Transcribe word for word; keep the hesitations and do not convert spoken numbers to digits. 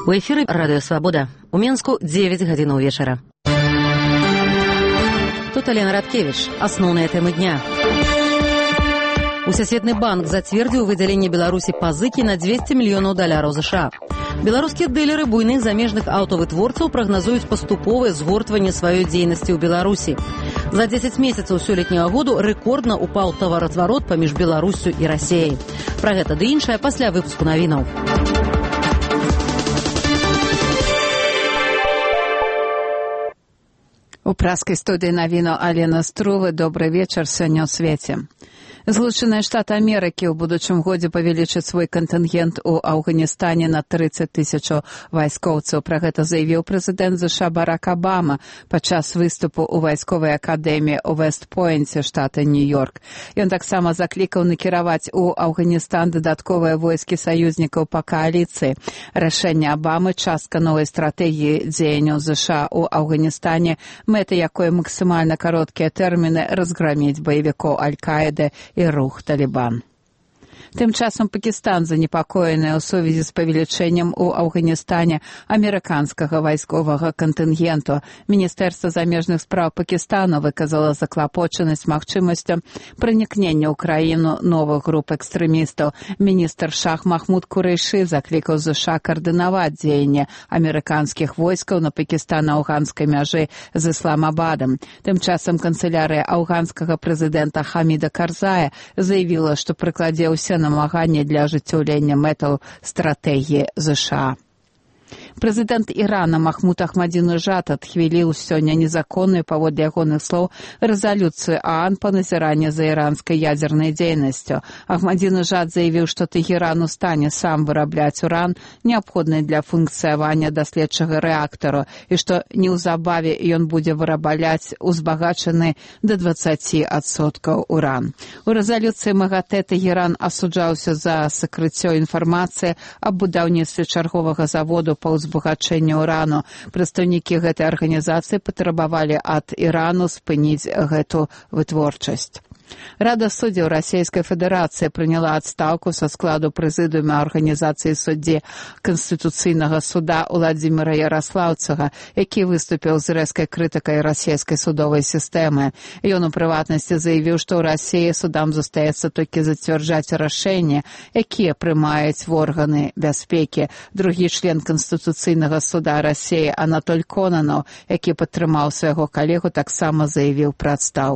У эфіры радыё Свабода. У Менску дзевяць гадзінаў вечара. Тут Алена Радкевич. Асноўныя тэмы дня. Усесветны банк зацвердзіў выдзяленне Беларусі пазыкі на дзвесце мільёнаў даляраў ЗША. Беларускія дылеры буйных замежных аўтавытворцаў прагназуюць паступовае згортванне сваёй дзейнасці ў Беларусі. За дзесяць месяцаў сёлетняга году рэкордна упаў таваразварот паміж Беларуссю і Расіяй. Пра гэта ды іншае пасля выпуску навінаў. У праскай студыі навіну Алена Струвы. Добрый вечар сёння ў свеце. Злучаныя Штаты Амерыкі ў будучым годзе павялічаць свой кантынгент у Афганістане на трыццаць тысяч вайскоўцаў. Пра гэта заявіў прэзідэнт ЗША Барак Абама падчас выступу ў вайсковай акадэміі ў Вэст-Пойнце, штата Нью-Йорк. Ён таксама заклікаў накіраваць у Афганістан дадатковыя войскі саюзнікаў па кааліцыі. Рашэнне Абамы частка новай стратэгіі дзеянняў ЗША ў Афганістане, мэта якой максімальна кароткія тэрміны разграміць баевікоў Аль-Каіды і рух Талібан. Тым часам Пакістан занепакоены ў сувязі з павелічэннем у Афганістане амерыканскага вайсковага кантынгенту. Міністэрства замежных спраў Пакістану выказала заклапочанасць магчымасцю пранікнення ў краіну новых груп экстрэмістаў. Міністр Шах Махмуд Курэйшы заклікаў ЗША каардынаваць дзеянне амерыканскіх войскаў на пакістана-афганскай мяжы з Ісламабадам. Тым часам канцылярыя афганскага прэзідэнта Хаміда Карзая заявіла, што прыкладзе ўсе намаганні для ажыццяўлення мэтаў стратэгіі ЗША. Прэзідэнт Ірана Махмуд Ахмадзінеджад адхвіліў сёння незаконную, паводле ягоных слоў, рэзалюцыю ААН па назіранні за іранскай ядзернай дзейнасцю. Ахмадзінеджад заявіў, што Тэхеран у стане сам вырабляць уран, неабходны для функцыявання даследчага рэактару, і што неўзабаве ён будзе вырабляць узбагачаны да дваццаці адсоткаў уран. У рэзалюцыі МАГАТЭ Тэхеран асуджаўся за сакрыццё інфармацыі аб будаўніцтве чарговага заводу па узбагачэнню урану. Прадстаўнікі гэтай арганізацыі патрабавалі ад Ірану спыніць гэту вытворчасць. Рада суддзяў Расійскай Федэрацыі прыняла адстаўку са складу прэзідыума арганізацыі суддзі Канстытуцыйнага суда Уладзіміра Яраслаўцага, які выступіў з рэзкай крытыкай расійскай судовай сістэмы. Ён у прыватнасці заявіў, што ў Расіі судам застаецца толькі зацвярджаць рашэнні, якія прымаюць в органы бяспекі. Другі член Канстытуцыйнага суда Расіі Анатоль Конанаў, які падтрымаў свайго калегу, таксама заявіў пра адстаўку.